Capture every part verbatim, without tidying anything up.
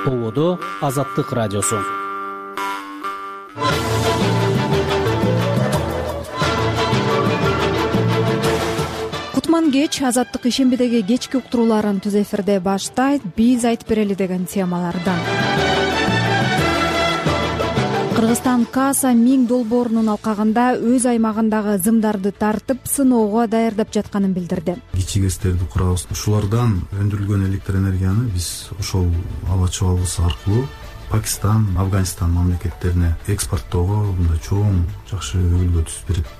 Ободо Азаттык радиосу. Кутман кеч Азаттык ишембидеги кечки уктурууларын түз эфирде баштайт. Биз айтып берели деген темалардан. Кыргызстан Каса миң долбоорунун алкагында өз аймагындагы зымдарды тартып сыноого даярдап жатканын билдирди. Кичи гэстерди курабыз. Ушулардан өндүрүлгөн электр энергияны биз ошол аба чабалгысы аркылуу Пакистан, Афганистан мамлекеттерине экспорттоого мындай чоң жакшы өбүлгө түзүп берет.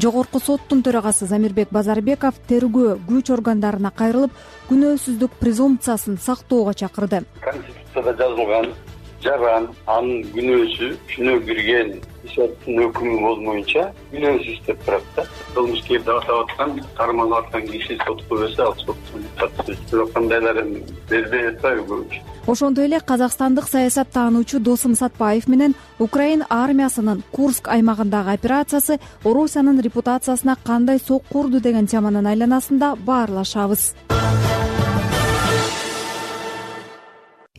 Жогорку соттун төрагасы Замирбек Базарбеков тергөө күч органдарына кайрылып, күнөөсүздүк презумпциясын сактоого чакырды. Конституцияда жазылган жаран анын күнөөсү күнөө кирген соттун өкүмү болмоюнча күнөөсүз деп турат да. Кылмышкерди атап аткан, кармалып аткан киши сотко берсе, ал соттун бирок кандайларын бербей атпайбы көбүнчө. Ошондой эле казакстандык саясат таануучу Досум Сатпаев менен Украин армиясынын Курск аймагындагы операциясы Орусиянын репутациясына кандай сок курду деген теманын айланасында баарлашабыз.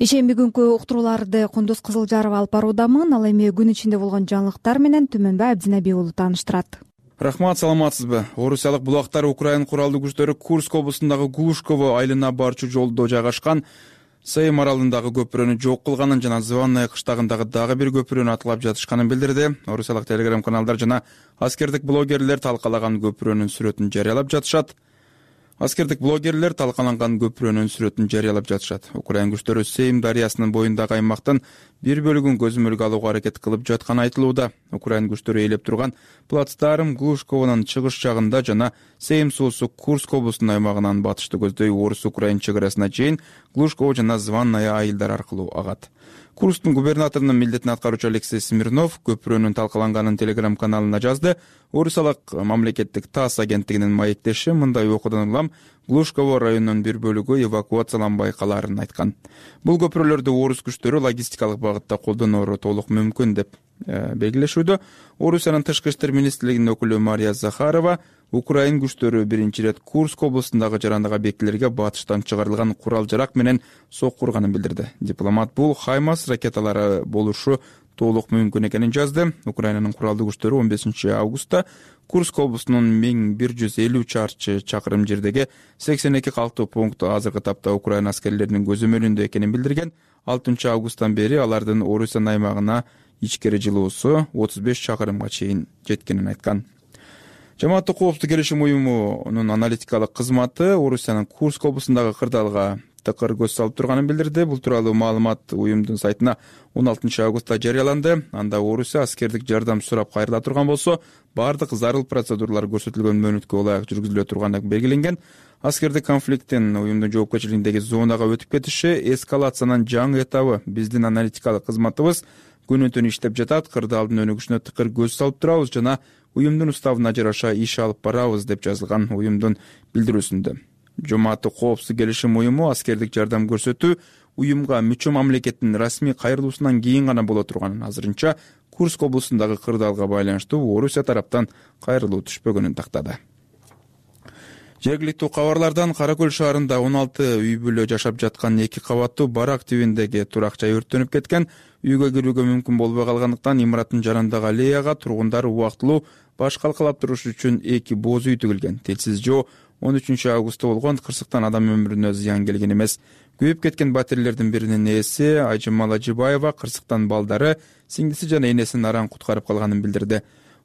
Ишемби күнкү уктурууларды Кундуз Кызылжарова алып баруудамын. Ал эми күн ичинде болгон жаңылыктар менен Түмөнбай Абдинабий уулу тааныштырат. Рахмат, саламатсызбы? Орусиялык булактар Украин куралдуу күчтөрү Курск облусундагы Глушково айылына барчу жолдо жайгашкан Сейм аралындагы көпүрөнү жок кылганын жана Званная кыштагындагы дагы бир көпүрөнү аткылап жатышканын билдирди. Орусиялык телеграм каналдар жана аскердик блогерлер талкалаган көпүрөнүн сүрөтүн жарыялап жатышат. Аскердик блогерлер талкаланган көпүрөнүн сүрөтүн жарыялап жатышат. Украин күчтөрү Сейм дарыясынын боюндагы аймактын бир бөлүгүн көзөмөлгө алууга аракет кылып жатканы айтылууда. Украин күчтөрү ээлеп турган плацдарм Глушковонун чыгыш жагында жана Сейм суусу Курск облусунун аймагынан батышты көздөй орус-украин чек арасына чейин Глушково жана Званная айылдар аркылуу агат. Курсктун губернаторунун милдетин аткаруучу Алексей Смирнов көпүрөнүн талкаланганын телеграм каналына жазды. Орусиялык мамлекеттик ТАСС агенттигинин маектеши мындай окуудан улам Глушково районунун бир бөлүгү эвакуацияланбай калаарын айткан. Бул көпүрөлөрдү орус күчтөрү логистикалык багытта колдоноору толук мүмкүн деп белгилешүүдө. Орусиянын тышкы иштер министрлигинин өкүлү Мария Захарова Украин күчтөрү биринчи ирет Курск облусундагы жарандык объектилерге батыштан чыгарылган курал-жарак менен сок курганын билдирди. Дипломат бул Хаймарс ракеталары болушу толук мүмкүн экенин жазды. Украинанын куралдуу күчтөрү он бешинчи августта Курск облусунун миң бир жүз элүү чарчы чакырым жердеги сексен эки калктуу пункт азыркы тапта Украин аскерлеринин көзөмөлүндө экенин билдирген. алтынчы августтан бери алардын Орусия аймагына ичкери жылуусу отуз беш чакырымга чейин жеткенин айткан. Жамааттык коопсуздук келишим уюмунун аналитикалык кызматы Орусиянын Курск облусундагы кырдаалга тыкыр көз салып турганын билдирди. Бул тууралуу маалымат уюмдун сайтына он алтынчы августта жарыяланды. Анда Орусия аскердик жардам сурап кайрыла турган болсо, бардык зарыл процедуралар көрсөтүлгөн мөөнөткө ылайык жүргүзүлө турганы белгиленген. Аскердик конфликттин уюмдун жоопкерчилигиндеги зонага өтүп кетиши эскалациянын жаңы этабы. Биздин аналитикалык кызматыбыз күнү-түн иштеп жатат, кырдаалдын өнүгүшүнө тыкыр көз салып турабыз жана уюмдун уставына жараша иш алып барабыз деп жазылган уюмдун билдирүүсүндө. Жамааттык коопсуздук келишим уюму аскердик жардам көрсөтүү уюмга мүчө мамлекеттин расмий кайрылуусунан кийин гана боло турганын, азырынча Курск облусундагы кырдаалга байланыштуу Орусия тараптан кайрылуу түшпөгөнүн тактады. Жергиликтүү кабарлардан Кара Көл шаарында он алты үй бүлө жашап жаткан эки кабаттуу барак тибиндеги турак жай өрттөнүп кеткен. Үйгө кирүүгө мүмкүн болбой калгандыктан имараттын жанындагы аллеяга тургундар убактылуу баш калкалап туруш үчүн эки боз үй тигилген. Телсиз жоо он үчүнчү августта болгон кырсыктан адам өмүрүнө зыян келген эмес. Күйүп кеткен батирлердин биринин ээси Айжамал Ажибаева кырсыктан балдары, сиңдиси жана энесин аран куткарып калганын билдирди.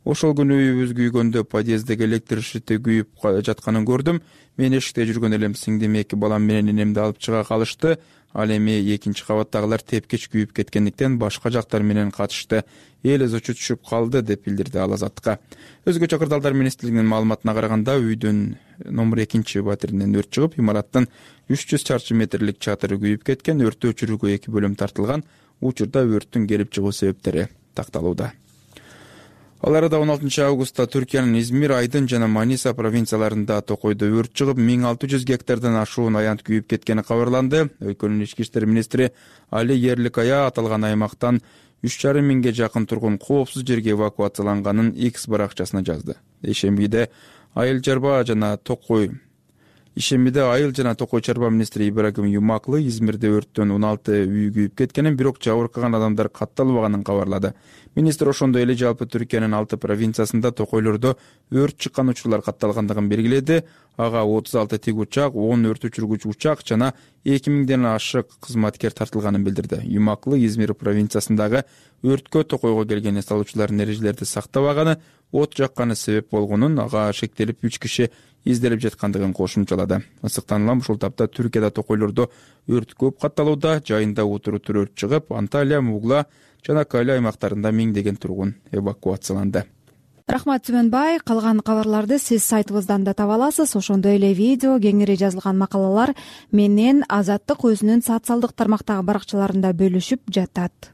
Ошол күнү үйүбүз күйгөндө подъездеги электр шити күйүп жатканын көрдүм. Мен эшикте жүргөн элем, сиңдим эки балам менен энемди алып чыга калышты. Ал эми экинчи кабаттагылар тепкич күйүп кеткендиктен башка жактар менен катышты. Эл өзөчө түшүп калды деп билдирди ал Азаттыкка. Өзгөчө кырдаалдар министрлигинин маалыматына караганда, үйдүн номер экинчи батиринен өрт чыгып, имараттын үч жүз чарчы метрлик чатыры күйүп кеткен. Өрттү өчүрүүгө эки бөлүм тартылган. Учурда өрттүн келип чыгуу себептери такталууда. Ал арада он алтынчы августта Түркиянын Измир, Айдын жана Маниса провинцияларында токойдо өрт чыгып, миң алты жүз гектардан ашуун аянт күйүп кеткени кабарланды. Өлкөнүн ички иштер министри Али Ерликая аталган аймактан үч жарым миңге жакын тургун коопсуз жерге эвакуацияланганын X баракчасына жазды. Ишембиде Айыл Жарба жана Токой Ишембиде айыл жана токой чарба министри Ибрагим Юмаклы Измирде өрттөн он алты үй күйүп кеткенин, бирок жабыркаган адамдар катталбаганын кабарлады. Министр ошондой эле жалпы Түркиянын алты провинциясында токойлордо өрт чыккан учурлар катталгандыгын белгиледи. Ага отуз алты тик учак, он өрт өчүргүч учак жана эки миңден ашык кызматкер тартылганын билдирди. Юмаклы Измир провинциясындагы өрткө токойго келген эс алуучулардын эрежелерди сактабаганы, от жакканы себеп болгонун, ага шектелип үч киши изделип жаткандыгын кошумчалады. Ысыктанылам ушул тапта Түркияда токойлордо өрт көп катталууда. Жайында утур-утур өрт чыгып, Анталия, Мугла жана Кали аймактарында миңдеген тургун эвакуацияланды. Рахмат Түмөнбай. Калган кабарларды сиз сайтыбыздан да таба аласыз. Ошондой эле видео, кеңири жазылган макалалар менен Азаттык өзүнүн социалдык тармактагы баракчаларында бөлүшүп жатат.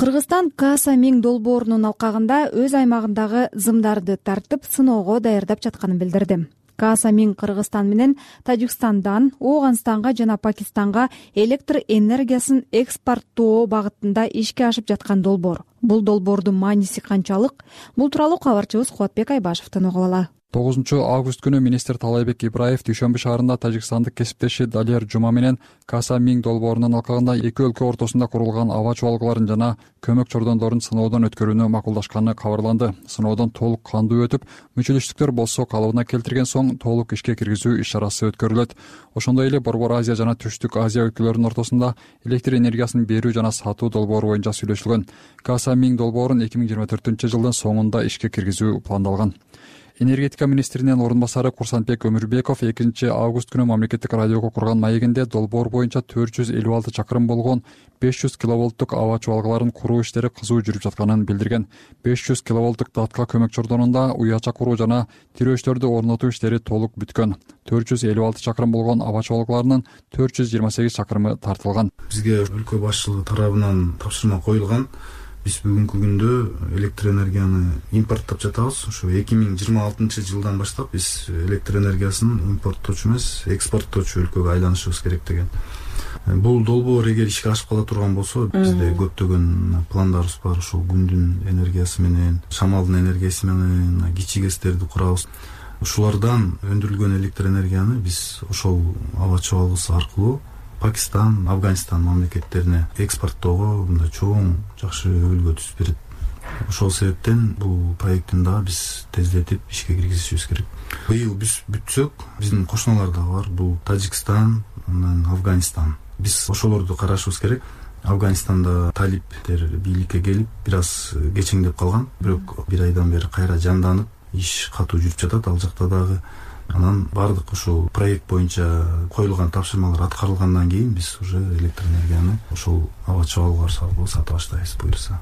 Кыргызстан Каса миң долбоорунун алкагында өз аймагындагы зымдарды тартып, сыноого даярдап жатканын билдирди. Каса миң Кыргызстан менен Тажикстандан Ооганстанга жана Пакистанга электр энергиясын экспорттоо багытында ишке ашып жаткан долбоор. Бул долбоордун мааниси канчалык? Бул тууралуу кабарчыбыз Кубатбек Айбашевден угуп алалы. тогузунчу август күнү министр Талайбек Ибраев Дүйшөмбү шаарында тажикстандык кесиптеши Далер Жума менен Каса миң долбоорунун алкагында эки өлкө ортосунда курулган аба чубалгыларын жана көмөк чордондорун сыноодон өткөрүүнү макулдашканы кабарланды. Сыноодон толук кандуу өтүп, мүчөлүштүктөр болсо калыбына келтирген соң толук ишке киргизүү иш-чарасы өткөрүлөт. Ошондой эле Борбор Азия жана Түштүк Азия өлкөлөрүнүн ортосунда электр энергиясын берүү жана сатуу долбоору боюнча сүйлөшүлгөн. Каса миң долбоорун эки миң жыйырма төртүнчү жылдын соңунда ишке киргизүү пландалган. Энергетика министринин орун басары Курсанбек Өмүрбеков экинчи август күнү мамлекеттик радиого курган маегинде долбоор боюнча төрт жүз элүү алты чакырым болгон беш жүз киловолттук аба чубалгыларын куруу иштери кызуу жүрүп жатканын билдирген. беш жүз киловолттук датка көмөк чордонунда уяча куруу жана тирөөчтөрдү орнотуу иштери толук бүткөн. төрт жүз элүү алты чакырым болгон аба чубалгыларынын төрт жүз жыйырма сегиз чакырымы тартылган. Бизге өлкө башчылыгы тарабынан тапшырма коюлган. Биз бүгүнкү күндө электр энергияны импорттоп жатабыз. Ошо эки миң жыйырма алтынчы жылдан баштап биз электр энергиясын импорттоочу эмес, экспорттоочу өлкөгө айланышыбыз керек деген. Бул долбоор эгер ишке ашып кала турган болсо, бизде көптөгөн пландарыбыз бар. Ошол күндүн энергиясы менен, шамалдын энергиясы менен кичи гэстерди курабыз. Ушулардан өндүрүлгөн электр энергияны биз ошол аба чабалгысы аркылуу Пакистан, Афганистан мамлекеттерине экспорттоого мындай чоң жакшы өбөлгө түзүп берет. Ошол себептен бул проекттин дагы биз тездетип ишке киргизишибиз керек. Быйыл биз бүтсөк, биздин кошуналар дагы бар. Бул Тажикстан, анан Афганистан. Биз ошолорду карашыбыз керек. Афганистанда талиптер бийликке келип, бир аз кечеңдеп калган. Бирок бир айдан бери кайра жанданып, иш катуу жүрүп жатат. Ал жакта дагы анан бардык ошол проект боюнча коюлган тапшырмалар аткарылгандан кийин биз уже электр энергияны ошол аба чабалгылар аркылуу сата баштайбыз буюрса,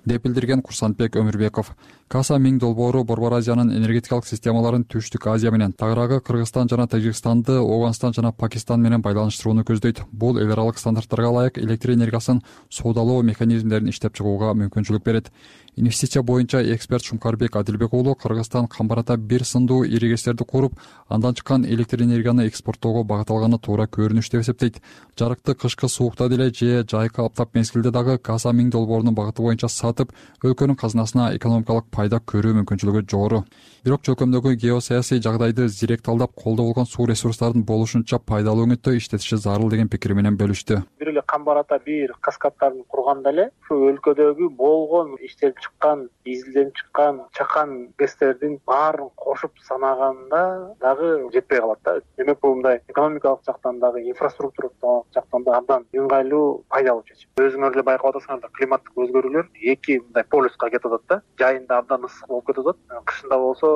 деп билдирген Курсанбек Өмүрбеков. Каса миң долбоору Борбор Азиянын энергетикалык системаларын Түштүк Азия менен, тагыраагы Кыргызстан жана Тажикстанды Ооганстан жана Пакистан менен байланыштырууну көздөйт. Бул эл аралык стандарттарга ылайык электр энергиясын соодалоо механизмдерин иштеп чыгууга мүмкүнчүлүк берет. Инвестиция боюнча эксперт Шумкарбек Адилбек уулу Кыргызстан камбарата бир сындуу иригестерди куруп, андан чыккан электр энергияны экспорттоого багыт алганы туура көрүнүш деп эсептейт. Жарыкты кышкы суукта деле же жайкы аптап мезгилде дагы Каса миң долбоорунун багыты боюнча сатып, өлкөнүн казынасына экономикалык пайда көрүү мүмкүнчүлүгү жогору. Бирок чөлкөмдөгү геосаясий жагдайды зирек талдап, колдо болгон суу ресурстарын болушунча пайдалуу өңүттө иштетиши зарыл деген пикири менен бөлүштү. Бир эле камбарата бир каскадтарын курганда эле ушу өлкөдөгү болгон иштелип чыккан, изилденип чыккан чакан гэстердин баарын кошуп санаганда дагы жетпей калат да. Демек бул мындай экономикалык жактан дагы, инфраструктуралык жактан да абдан ыңгайлуу, пайдалуу чечим. Өзүңөр эле байкап атасыңар, климаттык өзгөрүүлөр эки мындай полюска кетип атат да. Жайында абдан ысык болуп кетип атат, кышында болсо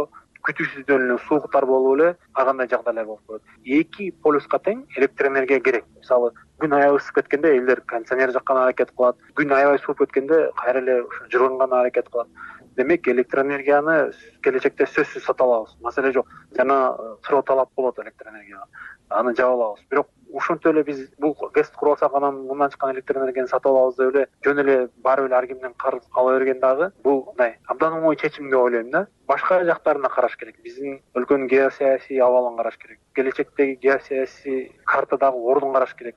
күтүүсүздөн эле сууктар болуп эле ар кандай жагдайлар болуп коет. Эки полюска тең электр энергия керек. Мисалы, күн аябай ысып кеткенде элдер кондиционер жаккан аракет кылат. Күн аябай сууп кеткенде кайра эле ушу жырганган аракет кылат. Демек электр энергияны келечекте сөзсүз сата алабыз. Маселе жок. Жана сыроо талап болот электр энергияга. Аны жаба алабыз. Бирок ошентип эле биз бул гэсти куруп алсак, анан мындан чыккан электр энергияны сатып алабыз деп эле жөн эле барып эле ар кимден карыз ала берген дагы бул мындай абдан оңой чечим деп ойлойм да. Башка жактарына караш керек. Биздин өлкөнүн геосаясий абалын караш керек. Келечектеги геосаясий картадагы ордун караш керек.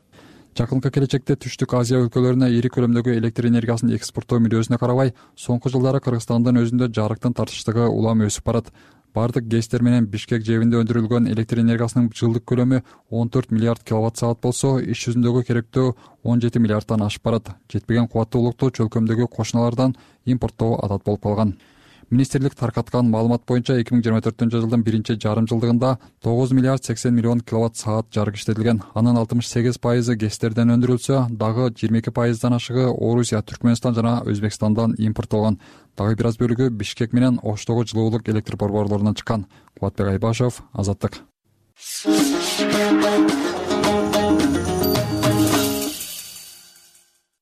жакынкы келечекте түштүк Азия өлкөлөрүнө ири көлөмдөгү электр энергиясын экспорттоо мүдөөсүнө карабай соңку жылдары Кыргызстандын өзүндө жарыктын тартыштыгы улам өсүп барат. Бардык гэстер менен Бишкек жэбинде өндүрүлгөн электр энергиясынын жылдык көлөмү он төрт миллиард киловатт саат болсо, иш жүзүндөгү керектөө он жети миллиардтан ашып барат. Жетпеген кубаттуулукту чөлкөмдөгү кошуналардан импорттоо адат болуп калган. Министрлик таркаткан маалымат боюнча эки миң жыйырма төртүнчү жылдын биринчи жарым жылдыгында тогуз миллиард сексен миллион киловатт саат жарык иштетилген. Анын алтымыш сегиз пайызы гэстерден өндүрүлсө, дагы жыйырма эки пайыздан ашыгы Орусия, Түркмөнстан жана Өзбекстандан импорттолгон. Дагы бир аз бөлүгү Бишкек менен Оштогу жылуулук электр борборлорунан чыккан. Кубатбек Айбашев, Азаттык.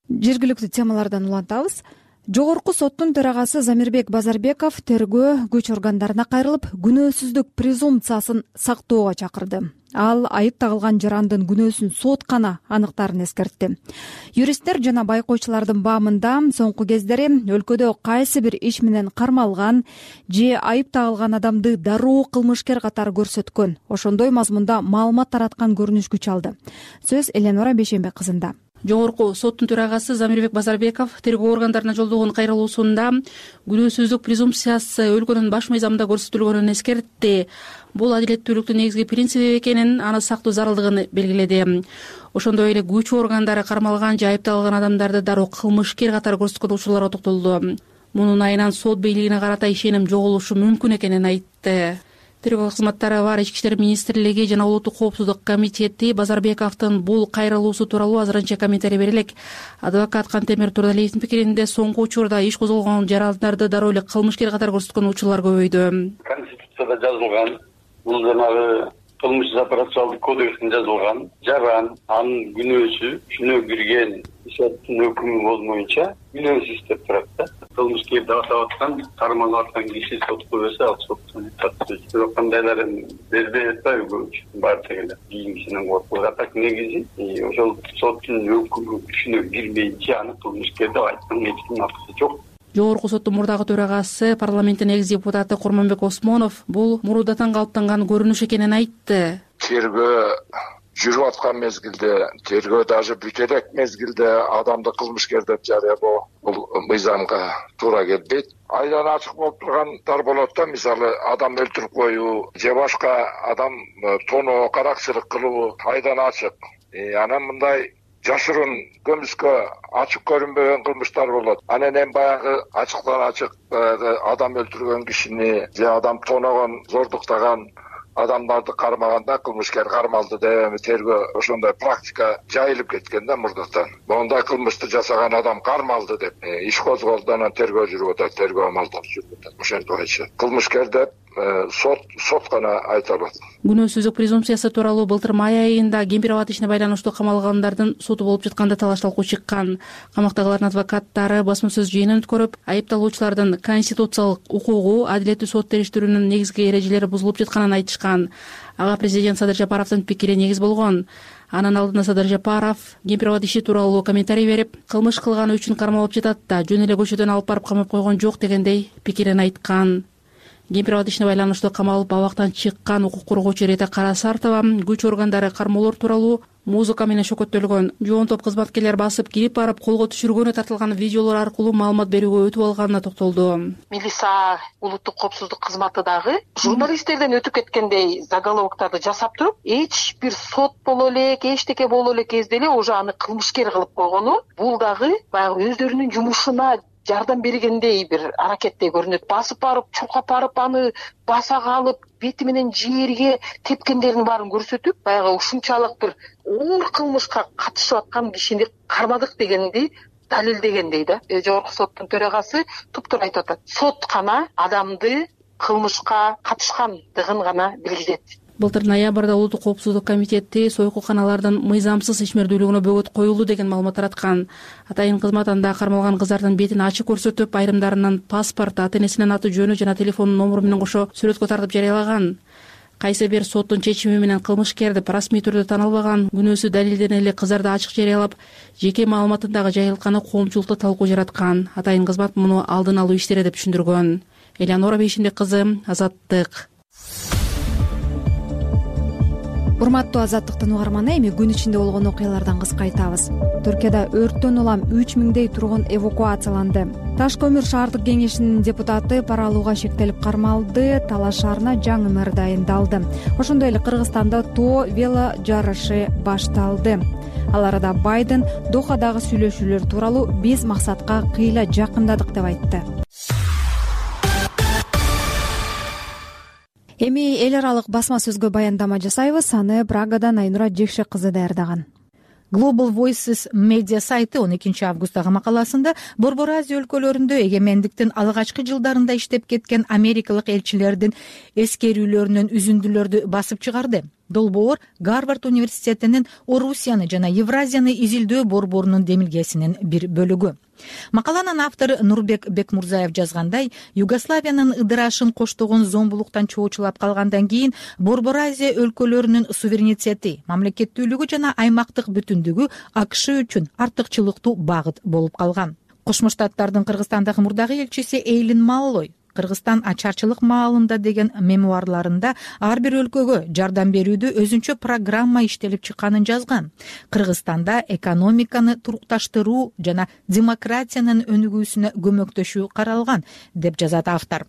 Жергиликтүү темалардан улантабыз. Жогорку соттун төрагасы Замирбек Базарбеков тергөө күч органдарына кайрылып, күнөөсүздүк презумпциясын сактоого чакырды. Ал айып тагылган жарандын күнөөсүн соткана аныктарын эскертти. Юристтер жана байкоочулардын баамында соңку кездери өлкөдө кайсы бир иш менен кармалган же айып тагылган адамды дароо кылмышкер катары көрсөткөн, ошондой мазмунда маалымат тараткан көрүнүш күч алды. Сөз Эленора Бейшенбек кызында. Жогорку соттун төрагасы Замирбек Базарбеков тергөө органдарына жолдогон кайрылуусунда күнөөсүздүк презумпциясы өлкөнүн баш мыйзамында көрсөтүлгөнүн эскертти. Бул адилеттүүлүктүн негизги принциби экенин, аны сактоо зарылдыгын белгиледи. Ошондой эле күч органдары кармалган же айыпталган адамдарды дароо кылмышкер катары көрсөткөн учурларга токтолду. Мунун айынан сот бийлигине карата ишеним жоголушу мүмкүн экенин айтты. Тергөө кызматтары бар Ички иштер министрлиги жана Улуттук коопсуздук комитети Базарбековдун бул кайрылуусу тууралуу азырынча комментарий бере элек. Адвокат Кантемир Турдалиевдин пикиринде соңку учурда иш козголгон жарандарды дароо эле кылмышкер катары көрсөткөн учурлар көбөйдү. Конституцияда жазылган, бул жанагы кылмыш операциялык кодексинде жазылган жаран, анын күнөөсү, күнөө кирген соттун өкүмү болмоюнча күнөөсүз деп турат да. Кылмышкерди атап аткан, кармалып аткан киши сотко берсе, ал соттун татышы. Бирок кандайларын бербей атпайбы көбүнчө баардык эле кийимисинен коркуп. А так негизи ошол соттун өкүмү күчүнө кирмейинче аны кылмышкер деп айткан эч кимдин акысы жок. Жогорку соттун мурдагы төрагасы, парламенттин экс депутаты Курманбек Осмонов бул мурдатан калыптанган көрүнүш экенин айтты. Тергөө жүрүп аткан мезгилде, тергөө даже бүтө элек мезгилде адамды кылмышкер деп жарыялоо бул мыйзамга туура келбейт. Айдан ачык болуп тургандар болот да, мисалы адам өлтүрүп коюу же башка адам тоноо, каракчылык кылуу айдан ачык. Анан мындай жашырын көмүскө ачык көрүнбөгөн кылмыштар болот. Анан эми баягы ачыктан ачык адам өлтүргөн кишини же адам тоногон, зордуктаган адамдарды кармаганда кылмышкер кармалды деп тергөө ошондой практика жайылып кеткен да мурдатан. Мондай кылмышты жасаган адам кармалды деп иш козголду, анан тергөө жүрүп атат, тергөө амалдары жүрүп атат. Ошентип айтышат. Кылмышкер деп сот сот гана айта алат. Күнөөсүздүк презумпциясы тууралуу былтыр май айында Кемпир-Абад ишине байланыштуу камалгандардын соту болуп жатканда талаш талкуу чыккан. Камактагылардын адвокаттары басма сөз жыйынын өткөрүп, айыпталуучулардын конституциялык укугу, адилеттүү сот териштирүүнүн негизги эрежелери бузулуп жатканын айтышкан. Ага президент Садыр Жапаровдун пикири негиз болгон. Анын алдында Садыр Жапаров Кемпир-Абад иши тууралуу комментарий берип, кылмыш кылганы үчүн кармалып жатат да, жөн эле көчөдөн алып барып камап койгон жок дегендей пикирин айткан. Кемпир-Абад ишине байланыштуу камалып абактан чыккан укук коргоочу Рета Карасартова күч органдары кармоолор тууралуу музыка менен шөкөттөлгөн, жоон топ кызматкерлер басып кирип барып колго түшүргөнү тартылган видеолор аркылуу маалымат берүүгө өтүп алганына токтолду. Милиса улуттук коопсуздук кызматы дагы журналисттерден өтүп кеткендей заголовоктарды жасап туруп, эч бир сот боло элек, эчтеке боло элек кезде эле уже аны кылмышкер кылып койгону, бул дагы баягы өздөрүнүн жумушуна жардам бергендей бир аракеттей көрүнөт. Басып барып, чуркап барып, аны баса калып, бети менен жерге тепкендердин баарын көрсөтүп, баягы ушунчалык бир оор кылмышка катышып аткан кишини кармадык дегенди далилдегендей да. Жогорку соттун төрагасы туптура айтып атат. Сот гана адамды кылмышка катышкандыгын гана билгизет. Былтыр ноябрда Улуттук коопсуздук комитети сойкулканалардын мыйзамсыз ишмердүүлүгүнө бөгөт коюлду деген маалымат тараткан. Атайын кызмат анда кармалган кыздардын бетин ачык көрсөтүп, айрымдарынын паспорт, ата-энесинин аты жөнү жана телефон номуру менен кошо сүрөткө тартып жарыялаган. Кайсы бир соттун чечими менен кылмышкерди расмий түрдө таанылбаган, күнөөсү далилдене эле кыздарды ачык жарыялап, жеке маалыматын дагы жайылтканы коомчулукта талкуу жараткан. Атайын кызмат муну алдын алуу иштери деп түшүндүргөн. Эленора Бейшенбек кызы, Азаттык. урматтуу азаттыктын угарманы, эми күн ичинде болгон окуялардан кыска айтабыз. Түркияда өрттөн улам үч миңдей тургун эвакуацияланды. Таш көмүр шаардык кеңешинин депутаты пара алууга шектелип кармалды. Талаш шаарына жаңы мэр дайындалды. Ошондой эле Кыргызстанда тоо вело жарышы башталды. Ал арада Байден Дохадагы сүйлөшүүлөр тууралуу биз максатка кыйла жакындадык деп айтты. Эми эл аралык басма сөзгө баяндама жасайбыз. Аны Прагадан Айнура Жекшек кызы даярдаган. Global Voices медиа сайты он экинчи августтагы макаласында Борбор Азия өлкөлөрүндө эгемендиктин алгачкы жылдарында иштеп кеткен америкалык элчилердин эскерүүлөрүнөн үзүндүлөрдү басып чыгарды. Долбоор Гарвард университетинин Орусияны жана Евразияны изилдөө борборунун демилгесинин бир бөлүгү. Макаланын автору Нурбек Бекмурзаев жазгандай, Югославиянын ыдырашын коштогон зомбулуктан чоочулап калгандан кийин Борбор Азия өлкөлөрүнүн суверенитети, мамлекеттүүлүгү жана аймактык бүтүндүгү АКШ үчүн артыкчылыктуу багыт болуп калган. Кошмо Штаттардын Кыргызстандагы мурдагы элчиси Эйлин Маллой Кыргызстан ачарчылык маалында деген мемуарларында ар бир өлкөгө жардам берүүдө өзүнчө программа иштелип чыкканын жазган. Кыргызстанда экономиканы турукташтыруу жана демократиянын өнүгүүсүнө көмөктөшүү каралган, деп жазат автор.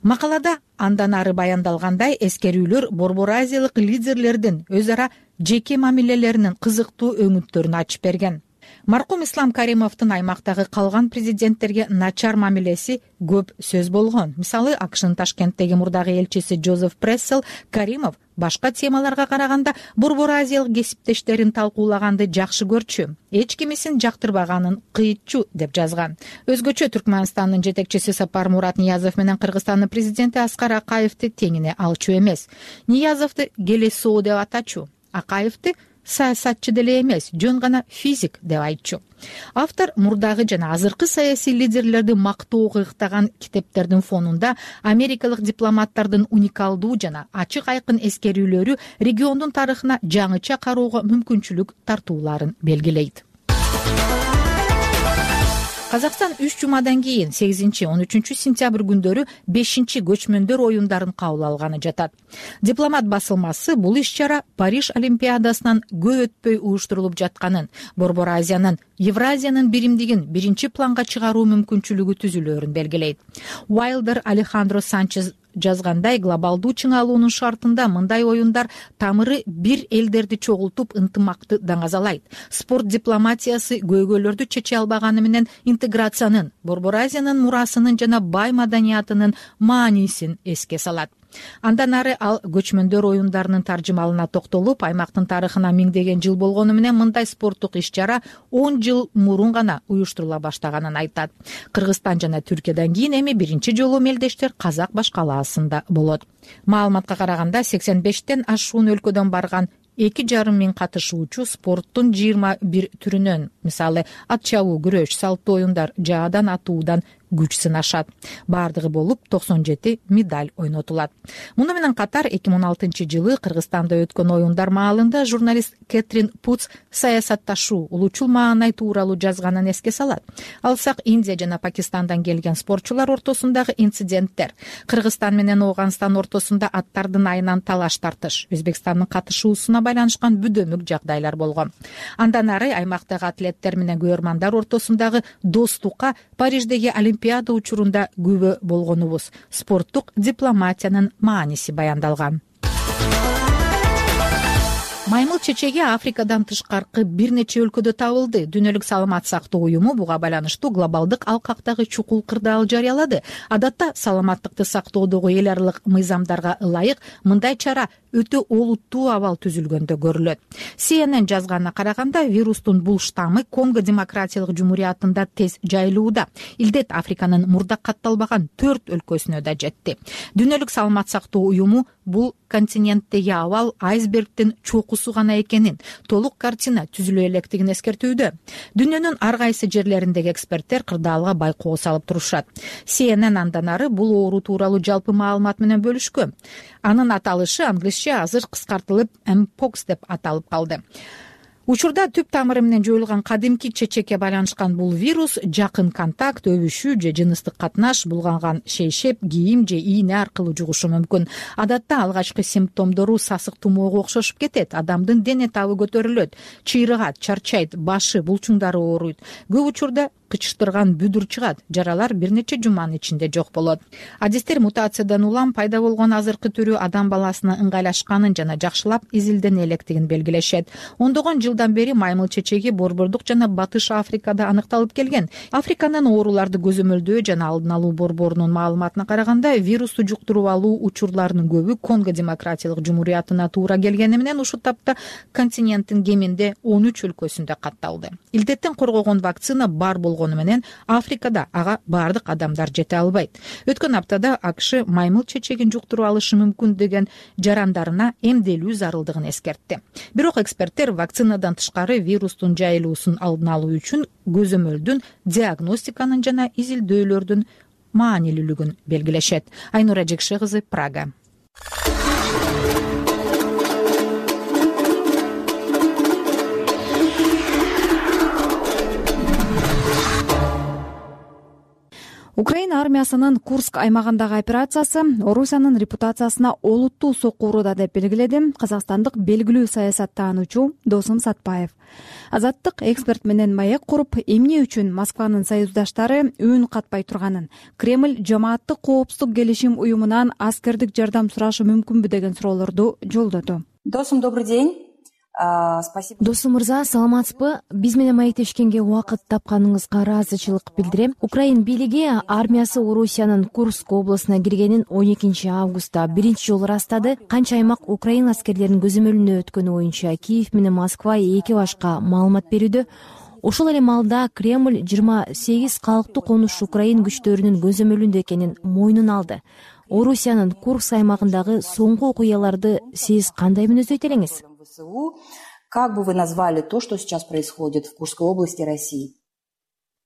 Макалада андан ары баяндалгандай, эскерүүлөр Борбор Азиялык лидерлердин өз ара жеке мамилелеринин кызыктуу өңүттөрүн ачып берген. Маркум Ислам Каримовдун аймактагы калган президенттерге начар мамилеси көп сөз болгон. Мисалы, АКШнын Ташкенттеги мурдагы элчиси Джозеф Прессел Каримов башка темаларга караганда Борбор Азиялык кесиптештерин талкуулаганды жакшы көрчү, эч кимисин жактырбаганын кыйытчу, деп жазган. Өзгөчө Түркмөнстандын жетекчиси Сапар Мурат Ниязов менен Кыргызстандын президенти Аскар Акаевди теңине алчу эмес. Ниязовду келесоо деп атачу, Акаевди саясатчы деле эмес, жөн гана физик деп айтчу. Автор мурдагы жана азыркы саясий лидерлерди мактоого ыктаган китептердин фонунда америкалык дипломаттардын уникалдуу жана ачык айкын эскерүүлөрү региондун тарыхына жаңыча кароого мүмкүнчүлүк тартууларын белгилейт. Казакстан үч жумадан кийин сегизинчи он үчүнчү сентябрь күндөрү бешинчи көчмөндөр оюндарын кабыл алганы жатат. Дипломат басылмасы бул иш-чара Париж Олимпиадасынан көп өтпөй уюштурулуп жатканын, Борбор Азиянын Евразиянын биримдигин биринчи планга чыгаруу мүмкүнчүлүгү түзүлөөрүн белгилейт. Уайлдер Алехандро Санчез жазгандай, глобалдуу чыңалуунун шартында мындай оюндар тамыры бир элдерди чогултуп ынтымакты даңазалайт. Спорт дипломатиясы көйгөйлөрдү чече албаганы менен интеграциянын, Борбор Азиянын мурасынын жана бай маданиятынын маанисин эске салат. Андан ары ал көчмөндөр оюндарынын таржымалына токтолуп, аймактын тарыхына миңдеген жыл болгону менен мындай спорттук иш-чара он жыл мурун гана уюштурула баштаганын айтат. Кыргызстан жана Түркиядан кийин эми биринчи жолу мелдештер Казак башкалаасында болот. Маалыматка караганда сексен бештен ашуун өлкөдөн барган эки жарым миң катышуучу спорттун жыйырма бир түрүнөн, мисалы, ат чабуу, күрөш, салттуу оюндар, жаадан атуудан күч сынашат. Бардыгы болуп токсон жети медаль ойнотулат. Муну менен катар эки миң он алтынчы жылы Кыргызстанда өткөн оюндар маалында журналист Кэтрин Путс саясатташуу, улуучул маанай тууралуу жазганын эске салат. Алсак, Индия жана Пакистандан келген спортчулар ортосундагы инциденттер, Кыргызстан менен Ооганстан ортосунда аттардын айынан талаш тартыш, Өзбекстандын катышуусуна байланышкан бүдөмүк жагдайлар болгон. Андан ары аймактагы атлеттер менен көрөрмандар ортосундагы достукка Париждеги Олимпиада учурунда күбө болгонубуз, спорттук дипломатиянын мааниси баяндалган. Маймыл чечеги Африкадан тышкаркы бир нече өлкөдө табылды. Дүйнөлүк саламат сактоо уюму буга байланыштуу глобалдык алкактагы чукул кырдаал жарыялады. Адатта саламаттыкты сактоодогу эл аралык мыйзамдарга ылайык мындай чара өтө олуттуу абал түзүлгөндө көрүлөт. Си Эн Эн жазганына караганда, вирустун бул штаммы Конго Демократиялык Жумуриятында тез жайылууда. Илдет Африканын мурда катталбаган төрт өлкөсүнө да жетти. Дүйнөлүк саламат сактоо уюму бул континенттеги абал айсбергдин чокусу гана экенин, толук картина түзүлө электигин эскертүүдө. Дүйнөнүн ар кайсы жерлериндеги эксперттер кырдаалга байкоо салып турушат. Си Эн Эн андан ары бул оору тууралуу жалпы маалымат менен бөлүшкөн. Анын аталышы англисче азыр кыскартылып Mpox деп аталып калды. учурда түп тамыры менен жоюлган кадимки чечекке байланышкан бул вирус жакын контакт, өбүшүү же жыныстык катнаш, булганган шейшеп, кийим же ийне аркылуу жугушу мүмкүн. Адатта алгачкы симптомдору сасык тумоого окшошуп кетет. Адамдын дене табы көтөрүлөт, чыйрыгат, чарчайт, башы, булчуңдары ооруйт. Көп учурда кычыштырган бүдүр чыгат. Жаралар бир нече жуманын ичинде жок болот. Адистер мутациядан улам пайда болгон азыркы түрү адам баласына ыңгайлашканын жана жакшылап изилдене электигин белгилешет. Ондогон жылдан бери маймыл чечеги Борбордук жана Батыш Африкада аныкталып келген. Африканын ооруларды көзөмөлдөө жана алдын алуу борборунун маалыматына караганда, вирусту жуктуруп алуу учурларынын көбү Конго Демократиялык Жумуриятына туура келгени менен ушул тапта континенттин кеминде он үч өлкөсүндө катталды. Илдеттен коргогон вакцина бар болгону менен Африкада ага бардык адамдар жете албайт. Өткөн аптада АКШ маймыл чечегин жуктуруп алышы мүмкүн деген жарандарына эмделүү зарылдыгын эскертти. Бирок эксперттер вакцинадан тышкары вирустун жайылуусун алдын алуу үчүн көзөмөлдүн, диагностиканын жана изилдөөлөрдүн маанилүүлүгүн белгилешет. Айнура Жекше кызы, Прага. Украина армиясынын Курск аймагындагы операциясы Орусиянын репутациясына олуттуу сокку урууда деп белгиледи казакстандык белгилүү саясаттануучу Досум Сатпаев. Азаттык эксперт менен маек куруп, эмне үчүн Москванын союздаштары үн катпай турганын, Кремль жамааттык коопсуздук келишим уюмунан аскердик жардам сурашы мүмкүнбү деген суроолорду жолдоду. Досум, добрый день. Спасибо. Досум мырза, саламатсызбы? Биз менен маектешкенге убакыт тапканыңызга ыраазычылык билдирем. Украин бийлиги армиясы Орусиянын Курск областына киргенин он экинчи августта биринчи жолу ырастады. Канча аймак Украин аскерлеринин көзөмөлүнө өткөнү боюнча Киев менен Москва эки башка маалымат берүүдө. Ошол эле маалда Кремль жыйырма сегиз калктуу конуш Украин күчтөрүнүн көзөмөлүндө экенин мойнуна алды. Орусиянын Курск аймагындагы соңку окуяларды сиз кандай мүнөздөйт элеңиз? Как бы вы назвали то, что сейчас происходит в Курской области России?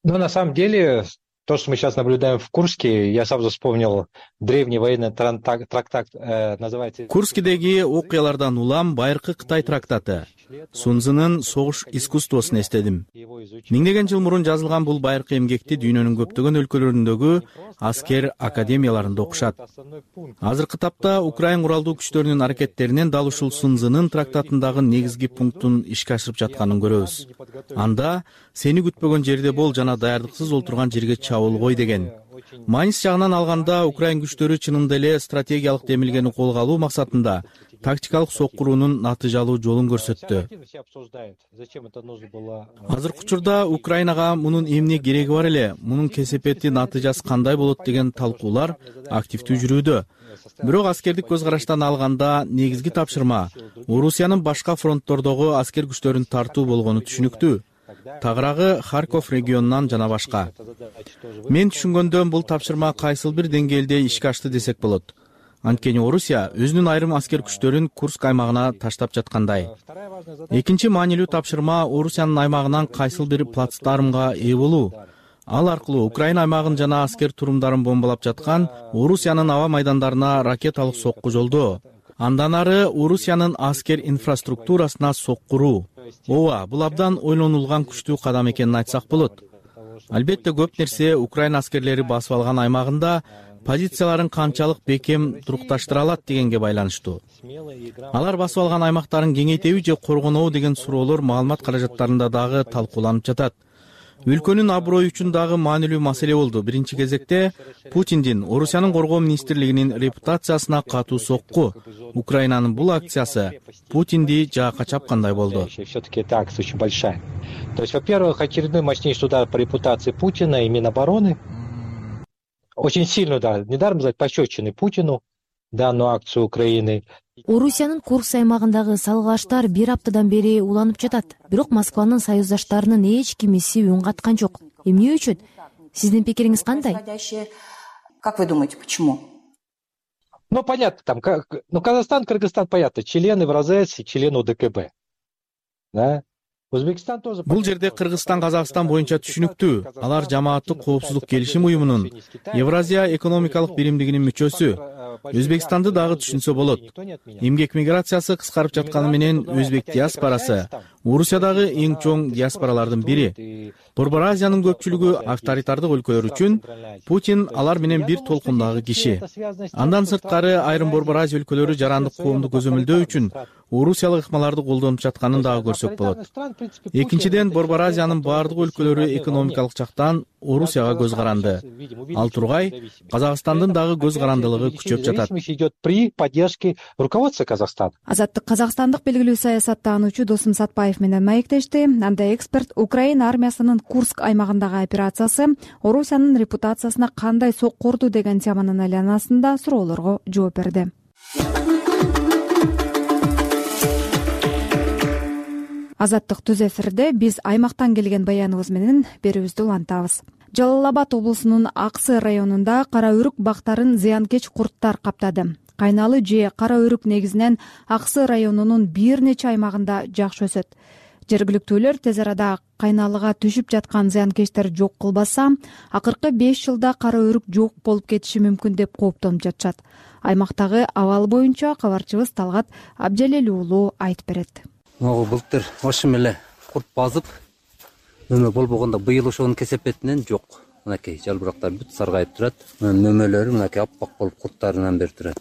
Ну, на самом деле, то, что мы сейчас наблюдаем в Курске, я сразу вспомнил древний военный трактат, э, называется... Курскидеги окуялардан улам байыркы Кытай трактаты. Сунзынын согуш искусствосун эстедим. Миңдеген жыл мурун жазылган бул байыркы эмгекти дүйнөнүн көптөгөн өлкөлөрүндөгү аскер академияларында окушат. Азыркы тапта Украин куралдуу күчтөрүнүн аракеттеринен дал ушул Сунзынын трактатындагы негизги пунктун ишке ашырып жатканын көрөбүз. Анда сени күтпөгөн жерде бол жана даярдыксыз олтурган жерге чабыл кой деген. Маанис жагынан алганда Украин күчтөрү чынында эле стратегиялык демилгени колго алуу максатында тактикалык соккуруунун натыйжалуу жолун көрсөттү. Азыркы учурда Украинага мунун эмне кереги бар эле, мунун кесепети, натыйжасы кандай болот деген талкуулар активдүү жүрүүдө. Бирок аскердик көз караштан алганда негизги тапшырма Орусиянын башка фронттордогу аскер күчтөрүн тартуу болгону түшүнүктүү. Тагыраагы Харьков регионунан жана башка. Мен түшүнгөндөн бул тапшырма кайсыл бир деңгээлде ишке ашты десек болот. Анткени Орусия өзүнүн айрым аскер күчтөрүн Курск аймагына таштап жаткандай. Экинчи маанилүү тапшырма Орусиянын аймагынан кайсыл бир плацдармга ээ болуу. Ал аркылуу Украина аймагын жана аскер турумдарын бомбалап жаткан Орусиянын аба майдандарына ракеталык сокку жолдоо. Андан ары Орусиянын аскер инфраструктурасына соккуруу. Ооба, бул абдан ойлонулган күчтүү кадам экенин айтсак болот. Албетте көп нерсе Украина аскерлери басып алган аймагында позицияларын канчалык бекем турукташтыра алат дегенге байланыштуу. Алар басып алган аймактарын кеңейтеби же коргонобу деген суроолор маалымат каражаттарында дагы талкууланып жатат. Өлкөнүн аброю үчүн дагы маанилүү маселе болду. Биринчи кезекте Путиндин Орусиянын коргоо министрлигинин репутациясына катуу сокку. Украинанын бул акциясы Путинди жаакка чапкандай болду. Все-таки эта акция очень большая. То есть, во-первых, очередной мощнейший удар по репутации Путина и Минобороны. Очень сильный удар. Недаром сказать пощечины Путину данную акцию Украины. Орусиянын Курск аймагындагы салгылаштар бир аптадан бери уланып жатат. Бирок Москванын союздаштарынын эч кимиси үн каткан жок. Эмне үчүн? Сиздин пикириңиз кандай? Как вы думаете, почему? Ну, понятно, там, как, ну, Казахстан, Кыргызстан, понятно, члены в РАЗЕС и члены ОДКБ. Да? Өзбекстан тоже... Бул жерде Кыргызстан, Казакстан боюнча түшүнүктүү. Алар жамааттык коопсуздук келишим уюмунун Евразия экономикалык биримдигинин мүчөсү. Өзбекстанды дагы түшүнсө болот. Эмгек миграциясы кыскарып жатканы менен өзбек диаспорасы Орусиядагы эң чоң диаспоралардын бири. Борбор Азиянын көпчүлүгү авторитардык өлкөлөр үчүн Путин алар менен бир толкундагы киши. Андан сырткары айрым Борбор Азия өлкөлөрү жарандык коомду көзөмөлдөө үчүн орусиялык ыкмаларды колдонуп жатканын дагы көрсөк болот. Экинчиден, Борбор Азиянын баардык өлкөлөрү экономикалык жактан Орусияга көз каранды. Ал тургай Казакстандын дагы көз карандылыгы күчөп жатат. При поддержке руководства Казахстана. Азаттык казакстандык белгилүү саясаттануучу Досум Сатпаев менен маектешти. Анда эксперт Украина армиясынын Курск аймагындагы операциясы Орусиянын репутациясына кандай соккурду деген теманын айланасында суроолорго жооп берди. Азаттык түз эфирде биз аймактан келген баяныбыз менен берүүбүздү улантабыз. Жалал Абад облусунун Аксы районунда кара өрүк бактарын зыянкеч курттар каптады. Кайналы же кара өрүк негизинен Аксы районунун бир нече аймагында жакшы өсөт. Жергиликтүүлөр тез арада кайналыга түшүп жаткан зыянкечтер жок кылбаса, акыркы беш жылда кара өрүк жок болуп кетиши мүмкүн деп кооптонуп жатышат. Аймактагы абал боюнча кабарчыбыз Талгат Абжалел уулу айтып берет. Могу былтыр ошо эле курт базып, мөмө болбогондо быйыл ошонун кесепетинен жок. Мынакей жалбырактар бүт саргайып турат. Мөмөлөрү мынакей аппак болуп курттарынан бери турат.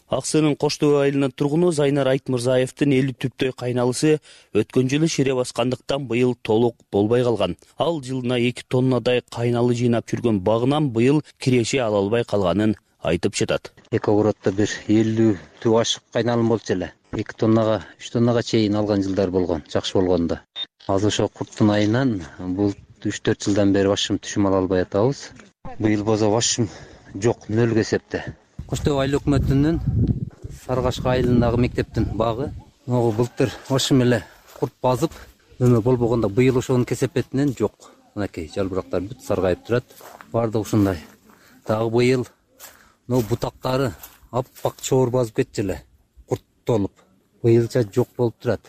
Аксынын Коштоо айылынын тургуну Зайнар Айтмырзаевдин элүү түптөй кайналысы өткөн жылы шире баскандыктан быйыл толук болбой калган. Ал жылына эки тоннадай кайналы жыйнап жүргөн багынан быйыл киреше ала албай калганын айтып жатат. Эки огороддо бир элүү түп ашык кайналым болчу эле. эки тоннага, үч тоннага чейин алган жылдар болгон, жакшы болгондо. Азыр ошо курттун айынан бул үч төрт жылдан бери башым түшүм ала албай атабыз. Быйыл болсо башым жок, нөлгө эсепте. Коштоо айыл өкмөтүнүн Саргашка айылындагы мектептин багы могу былтыр ошо эле курт базып, мөмө болбогондо быйыл ошонун кесепетинен жок. Мынакей жалбырактар бүт саргайып турат. Бардыгы ушундай. Дагы быйыл но бутактары аппак чоор басып кетчү эле. Курт толуп. Быйылча жок болуп турат.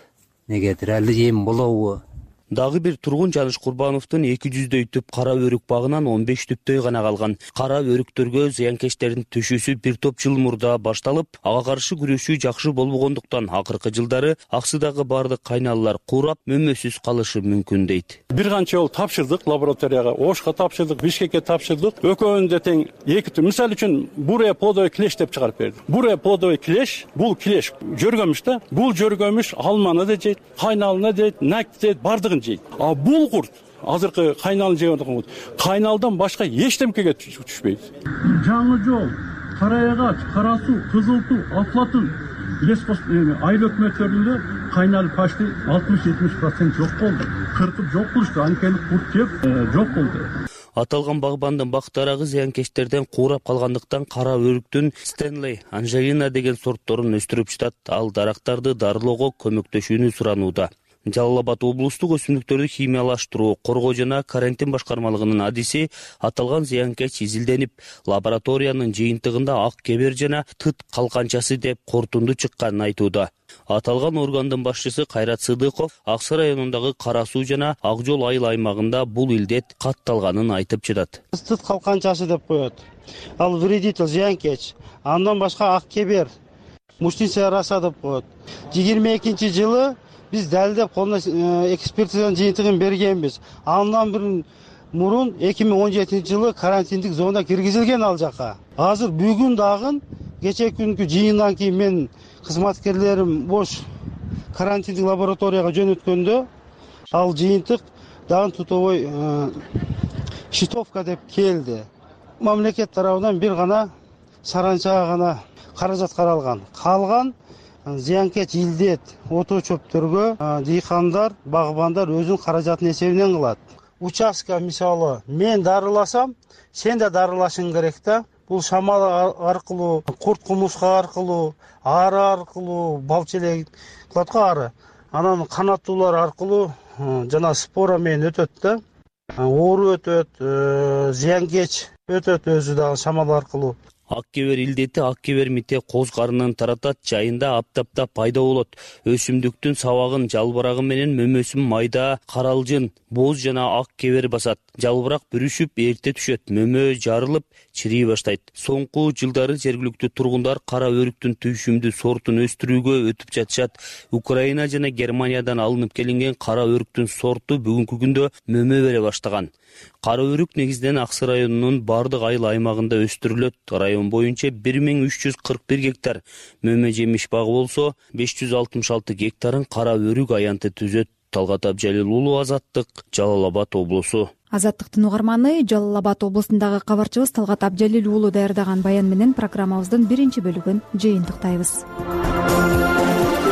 Негедир али эм болобу? Дагы бир тургун Жаныш Курбановдун эки жүздөй түп кара өрүк багынан он беш түптөй гана калган. Кара өрүктөргө зыянкечтердин түшүүсү бир топ жыл мурда башталып, ага каршы күрөшүү жакшы болбогондуктан акыркы жылдары Аксыдагы бардык кайналалар курап, мөмөсүз калышы мүмкүн дейт. Бир канча жолу тапшырдык лабораторияга, Ошко тапшырдык, Бишкекке тапшырдык. Экөөнүндө тең эки түп. Мисалы үчүн бурая плодовый клеш деп чыгарып берди. Бурая плодовый клеш, бул клеш жөргөмүш да. Бул жөргөмүш алманы да жейт, кайналына жейт, накты жейт, бардыгын. А бул курт азыркы кайнал жеп аткан кайналдан башка эчтемкеге түшпөйт. Жаңы жол, Караягач, Кара суу, Кызыл туу, Атлатын леспос айыл өкмөттөрүндө кайнал почти алтымыш жетимиш процент жок болду. Кыркып жок кылышты, анткени курт жеп жок болду. Аталган багбандын бактарагы зыянкечтерден куурап калгандыктан кара өрүктүн Стенлей Анжелина деген сортторун өстүрүп жатат. Ал дарактарды дарылоого көмөктөшүүнү суранууда. Жалал Абад облустук өсүмдүктөрдү химиялаштыруу, коргоо жана карантин башкармалыгынын адиси аталган зыянкеч изилденип, лабораториянын жыйынтыгында ак кебер жана тыт калканчасы деп корутунду чыкканын айтууда. Аталган органдын башчысы Кайрат Сыдыков Аксы районундагы Кара суу жана Ак жол айыл аймагында бул илдет катталганын айтып жатат. Тыт калканчасы деп коет. Ал вредитель зыянкеч. Андан башка ак кебер, муштиция роса деп коет. жыйырма экинчи жылы биз далилдеп колуна экспертизанын жыйынтыгын бергенбиз. Андан бир мурун эки миң он жетинчи жылы карантиндик зона киргизилген ал жака. Азыр бүгүн дагы кечээ күнкү жыйындан кийин мен кызматкерлерим бош карантиндик лабораторияга жөнөткөндө ал жыйынтык дагы тутовой щитовка деп келди. Мамлекет тарабынан бир гана саранчага гана каражат каралган. Калган зыянкеч илдет ото чөптөргө дыйкандар, багбандар өзүнүн каражатынын эсебинен кылат. Участка мисалы мен дарыласам, сен да дарылашың керек да. Бул шамал аркылуу, курт кумурска аркылуу, ары аркылуу, балчелек кылат го ары. Анан канаттуулар аркылуу жана спора менен өтөт да. Оору өтөт, зыянкеч өтөт өзү дагы шамал аркылуу. ак кебер илдети ак кебер мите коз карынын таратат, жайында аптапта пайда болот. Өсүмдүктүн сабагын, жалбырагы менен мөмөсүн майда каралжын, боз жана ак кебер басат. Жалбырак бүрүшүп эрте түшөт, мөмө жарылып чирей баштайт. Соңку жылдары жергиликтүү тургундар кара өрүктүн түйшүмдүү сортун өстүрүүгө өтүп жатышат. Украина жана Германиядан алынып келинген кара өрүктүн сорту бүгүнкү күндө мөмө бере баштаган. Кара өрүк негизинен Аксы районунун бардык айыл аймагында өстүрүлөт. Район боюнча бир миң үч жүз кырк бир гектар мөмө жемиш багы болсо, беш жүз алтымыш алты гектарын кара өрүк аянты түзөт. Талгат Абжалил уулу, Азаттык, Жалал Абад облусу. Азаттыктын угарманы, Жалал Абад облусундагы кабарчыбыз Талгат Абжалил уулу даярдаган баян менен программабыздын биринчи бөлүгүн жыйынтыктайбыз.